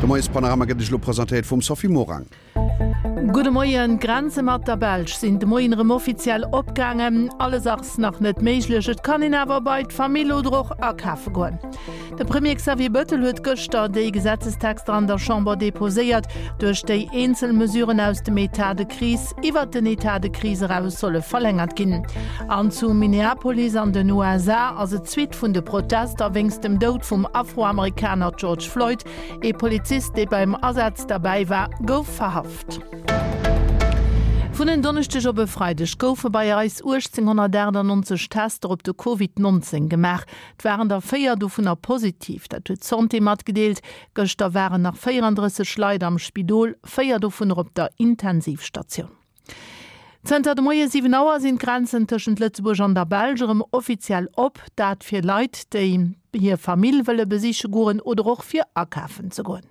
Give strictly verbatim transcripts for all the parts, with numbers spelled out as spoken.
De Moiespanorama gëtt Iech elo presentéiert vum Sophie Morang. Gudde Moien, D'Grenze mat der Belsch sinn de Moien erëm offiziell opgaangen. Alles ass nach net méiglech, et kann een awer bei d'Famill oder och akafe goen. De Premier Xavier Bëttel huet gëschter déi Gesetzestexter an der Chamber deposéiert, duerch déi eenzel Mesuren aus dem Etat de crise iwwert den Etat de crise eraus solle verlängert ginn. An zu Minneapolis an den U S A ass et d'Suite vun de Protester wéinst dem Doud vum Afroamerikaner George Floyd. Ee Polizist, dee beim Asaz derbäi war, gouf verhaft. Vun en Donneschdeg op e Freideg goufe bei eis uechtzénghonnertachtannonzeg Tester op de Covid neunzehn gemaach. Et waren der véier dovunner positiv, dat huet d'Santé matgedeelt. Gëschter waren nach véierandrësseg Leit am Spidol, véier dovunner op der Intensivstatioun. Zënter de Moie siwen Auer sinn d'Grenzen tëschent Lëtzebuerg an der Belsch erëm offiziell op, dat fir Leit, déi hir Famill wëlle besiche goen oder och fir akafen ze goen.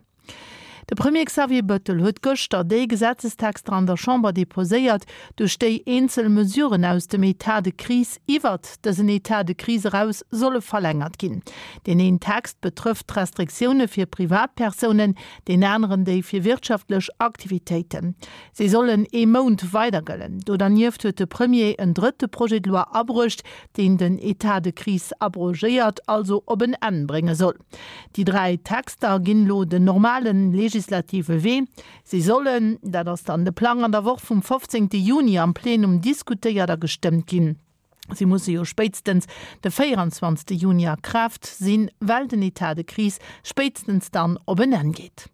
De Premier Xavier Bëttel huet gëschter déi Gesetzestexter an der Chamber deposéiert, duerch déi eenzel Mesuren aus dem Etat de crise iwwert dësen Etat de crise eraus solle verlängert ginn. Deen een Text betrëfft d'Restriktioune fir Privatpersounen, deen aneren déi fir wirtschaftlech Aktivitéiten. Si sollen ee Mount weidergëllen. Do dernieft huet de Premier en drëtte Projet de loi abruecht, deen den Etat de crise abrogéiert, also op en Enn brénge soll. Déi dräi Texter ginn elo den normalen legislative Wee. Si sollen, dat ass dann de Plang, an der Woch vum fofzéngte Juni am Plenum diskutéiert a gestëmmt ginn. Si musse jo spéitstens de véierundzwanzegste Juni a Kraaft sinn, well den Etat de crise spéitstens dann op en Enn geet.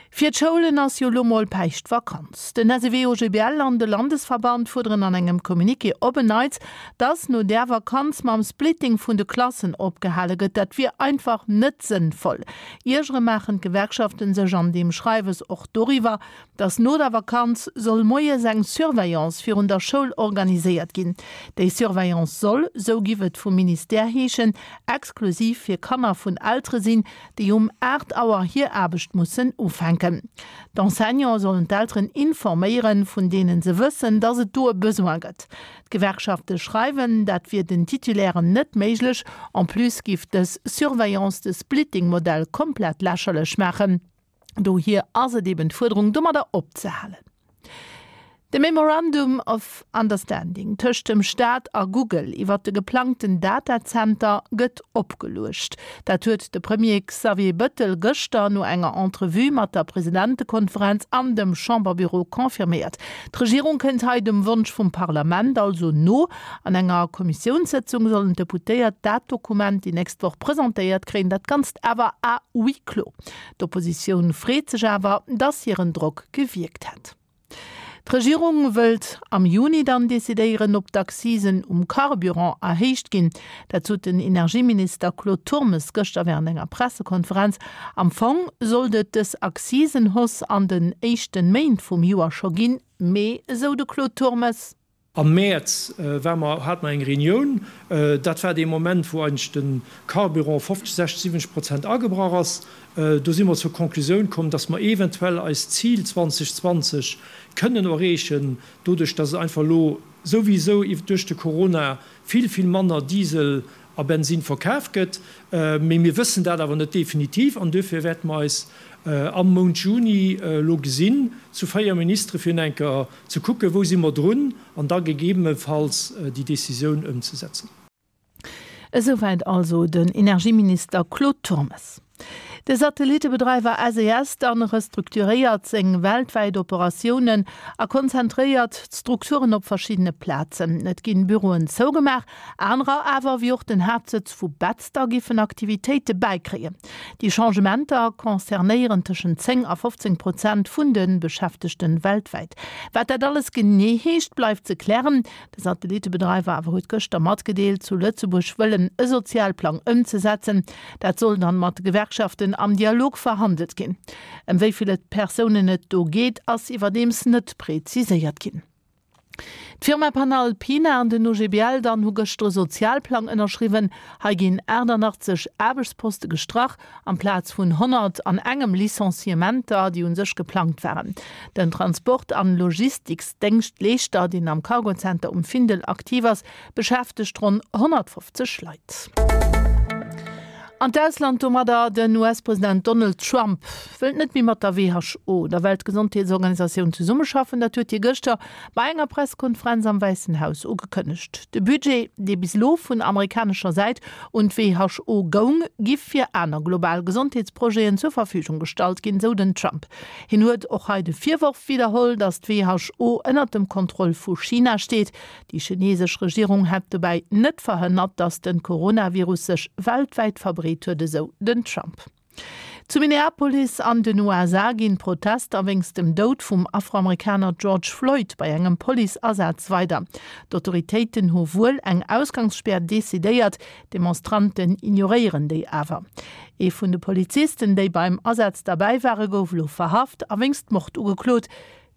Fir d'Schoulen ass jo lo mol Päischtvakanz. Den S E W O G B L an de Landesverband fuerderen an engem Communiqué op en Neits, dass no der Vakanz mam Splitting vun de Klassen opgehale gëtt. Dat wier einfach net sënnvoll. Iergere maachen d'Gewerkschaften sech an dem Schreiwes och doriwwer, dass no der Vakanz soll moies eng Surveillance virun der Schoul organiséiert ginn. Déi Surveillance soll, sou giff et vum Ministère heeschen, exklusiv fir Kanner vun Eltere sinn, déi um acht Auer hir Aarbecht mussen ufänken. D'Enseignants sollen d'Elteren informéieren, vun denen se wëssen, dass et do e Besoin gëtt. D'Gewerkschafte schreiwen, dat wier den Titulären net méiglech. En plus giff dës Surveillance de Splitting-Modell komplett lächerlech machen. Dohier ass et eben d'Fuerderung, domadder opzehalen. De Memorandum of Understanding tëscht dem Staat a Google iwwer de geplangten Datacenter gëtt opgeluecht. Dat huet de Premier Xavier Bëttel gëschter no enger Entrevue mat der Presidentekonferenz an dem Chamberbüro confirméiert. D'Regierung kënnt hei dem Wunsch vum Parlament also no. An enger Kommissiounssitzung sollen d'Deputéiert dat Dokument déi nächst Woch presentéiert kréien, dat Ganzt awer à huis clos. D'Oppositioun freet sech awer, dass hiren Drock gewirkt hätt. D'Regierung wëllt am Juni dann decidéieren, ob d'Accisen um Carburant erhéicht ginn. Dat sot den Energieminister Claude Turmes gëschter während enger Pressekonferenz. Am Fong sollt et dës Accisenhausse an den éischten Méint vum Joer scho ginn, mee esou de Claude Turmes. Am März, äh, war mer, hat man eng Reunion. Äh, dat war de Moment, wo eigentlich den Carburant fünfzig, sechzig, siebzig Prozent angebracht ass. Äh, do sind wir zur Konklusion gekommen, dass wir eventuell als Ziel zwanzig zwanzig können erreichen, dadurch, dass es einfach lo sowieso durch die Corona viel, viel manner Diesel a Benzin verkauft wird. Äh, mee wir wissen dat aber nicht definitiv und dafür werden wir es, äh, am Mount Juni, äh, lo gesinn, zu feier Minister fir enker zu gucken, wo sind wir drun an da gegebenenfalls, äh, die Decision umzusetzen. Soweit also den Energieminister Claude Turmes. De Satellitebedreiwer S E S dann restrukturéiert seng weltweit Operatiounen a konzentréiert d'Strukturen op verschiedene Plazen. Et ginn Büroen zougemaach, anerer awer wéi och den Haaptsëtz vu Betzder giffen Aktivitéite bäikréien. Déi Changementer concernéieren tëschent zéng a fofzéng Prozent vun den Beschäftegten weltweit. Wat dat alles genee heescht, bleift ze klären. De Satellitebedreiwer awer huet gëschter matgedeelt, zu Lëtzebuerg wëllen e Sozialplang ëmzesetzen. Dat soll dann mat Gewerkschaften am Dialog verhandelt ginn. Ëm wéi viele Persounen et do geet, ass iwwerdeems net präziséiert ginn. D'Firma Panalpina an den O G B L dann hu gëschter e Sozialplang ënnerschriwwen. Hei ginn achtundachtzig Aarbechtsposte gestrach, amplaz vun honnert an engem Licenciementer, déi un sech geplangt waren. Den Transport- an Logistiksdienstleeschter, deen am Cargocenter um Findel aktiv ass, beschäftegt rund hundertfünfzig Leit. An d'Ausland domadder, Den US-President Donald Trump wëllt net méi mat der WHO, der Weltgesondheetsorganisatioun, zesummeschaffen. Dat huet hie gëschter bei enger Presskonferenz am Wäissen Haus ugekënnegt. De Budget, dee bis elo vun amerikanescher Säit un d'WHO goung, giff fir aner global Gesondheetsprojeten zur Verfügung gestallt ginn, sou den Trump. Hien huet och hei de Virworf widderholl, datt d'WHO ënnert dem Kontroll vu China steet. Déi chinesesch Regierung hätt dobäi net verhënnert, datt de Coronavirus sech weltwäit verbreet huet, esou den Trump. Zu Minneapolis an den USA ginn d'Protester wéinst dem Doud vum Afroamerikaner George Floyd bei engem Policeasaz weider. D'Autoritéiten hu wuel eng Ausgangsspär decidéiert, d'Demonstranten ignoréieren déi awer. Ee vun de Polizisten, déi beim Asaz derbäi ware gouf elo verhaft a wéinst Mord ugeklot.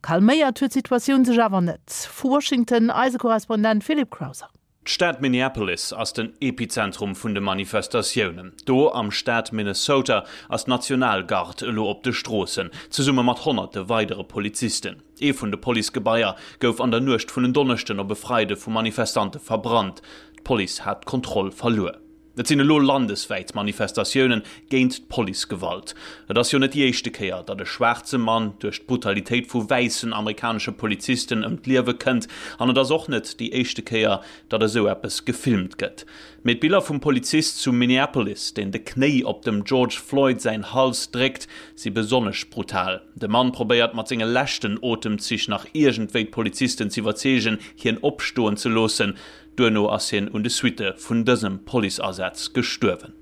Calméiert huet d'Situatioun sech awer net. Vu Washington eise Korrespondent Philip Crowther. D'Stad Minneapolis ass den Epizentrum vun de Manifestatiounen. Do am Staat Minnesota ass d'Nationalgard elo op de Stroossen, zesumme mat honnerte weidere Polizisten. Ee vun de Policegebaier gouf an der Nuecht vun en Donneschden op e Freide vu Manifestante verbrannt. D'Police hat d'Kontroll verluer. Et sinn elo landeswäit Manifestatioune géint d'Policegewalt. Et ass jo net déi éischte Kéier, datt e schwaarze Mann duerch d'Brutalitéit vu wäissen amerikanesche Polizisten ëm d'Liewe kënnt. An et ass och net déi éischte Kéier, datt esou eppes gefilmt gëtt. Mee d'Biller vum Polizist zu Minneapolis, deen de Knéi op dem George Floyd säin Hals dréckt, si besonnesch brutal. De Mann probéiert mat senge leschten Otemzich nach iergendwéi d'Polizisten z'iwwerzeegen, hien opstoen ze loossen. Duerno ass hien un de Suitte vun dësem Policeasaz gestuerwen.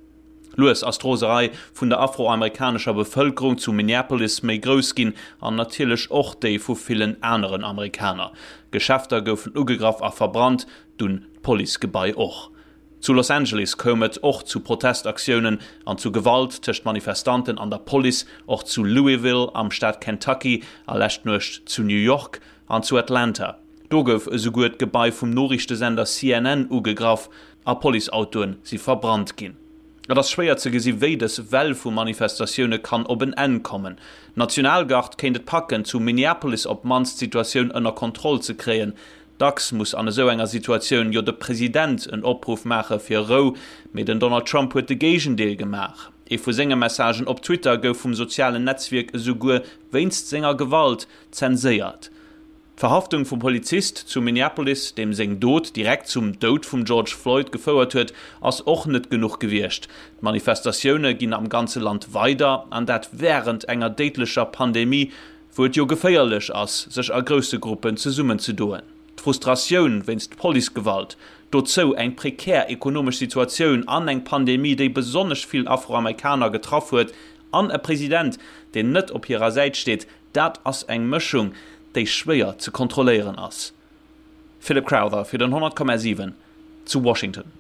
Lues ass d'Roserei vun der afroamerikanescher Bevëlkerung zu Minneapolis méi grouss ginn an natierlech och déi vu villen aneren Amerikaner. Geschäfter goufen ugegraff a verbrannt, dunn d'Policegebai och. Zu Los Angeles koum et och zu Protestaktiounen an zu Gewalt tëscht Manifestanten an der Police, och zu Louisville am Staat Kentucky a lescht Nuecht zu New York an zu Atlanta. Do gouf esouguer d'Gebai vum Noriichtesender C N N ugegraff a Policeautoe si verbrannt ginn. Et ass schwéier ze gesi wéi dës Well vu Manifestatioune kann op en Enn kommen. D'Nationalgard kéint et packen, zu Minneapolis op d'mannst d'Situatioun ënner Kontroll ze kréien. Dacks muss an esou enger Situatioun jo de President en Opruff maache fir Rou, mee den Donald Trump huet de Géigendeel gemaach. Ee vu senge Messagen op Twitter gouf vum sozialen Netzwierk esouguer wéinst senger Gewalt zenséiert. D'Verhaftung vum Polizist zu Minneapolis, deem seng Dot direkt zum Doud vum George Floyd gefouert huet, ass och net genuch gewiescht. D'Manifestatioune ginn am ganze Land weider, an dat wärend enger déidlecher Pandemie, wou et jo geféierlech ass, sech a grousse Gruppen zesummenzedoen. D'Frustratioun wéinst Policegewalt, dozou eng prekär ekonomesch Situatioun an eng Pandemie, déi besonnesch vill Afroamerikaner getraff huet, an e President, deen net op hirer Säit steet, dat ass eng Mëschung, déi schwéier ze kontrolléieren ass. Philip Crowther fir den honnert Komma siwen zu Washington.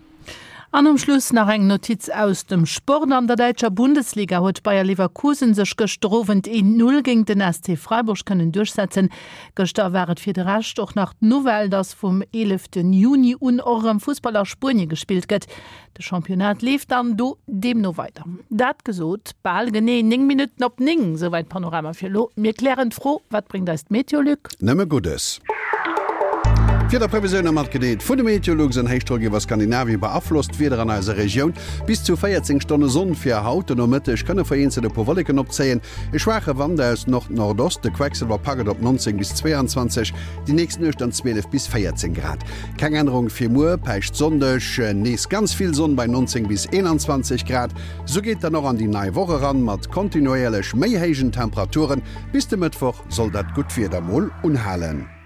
An um Schluss nach eng Notiz aus dem Sport. An der däitscher Bundesliga huet Bayer Leverkusen sech gëschter Owend een Null géint den S C Freiburg kënnen duerchsetzen. Gëschter war et fir de Rescht och nach d'Nouvelle, dass vum eelefte Juni un och erëm Fussball a Spuenie gespillt gëtt. De Championnat leeft dann do deemno weider. Dat gesot, bal genee néng Minutten op néng, souwäit Panorama fir elo. Mir klären d'Fro, Wat bréngt eis d'Meteolux? Nëmme Guddes. D'Wiederprevisioune matgedeelt vun de Meteolux. En Héichdrock iwwer Skandinavien beaflosst d'Wieder an eiser Regioun. Bis zu véierzéng Stonne Sonn fir haut. Den Nomëtteg kënne vereenzelt e puer Wolleken opzéien. E schwaache Wand aus Nord-Nordost. De Quecksëlwer packt et op neunzéng bis zweeanzwanzeg, déi nächst Nuecht dann zwielef bis véierzéng Grad. Keng Ännerung fir muer, Päischtsonndeg, nees ganz vill Sonn bei neunzéng bis eenanzwanzeg Grad. Sou geet dann och an déi nei Woch eran, mat kontinuéierlech méi héijen Temperaturen. Bis de Mëttwoch soll dat gutt Wieder mol unhalen.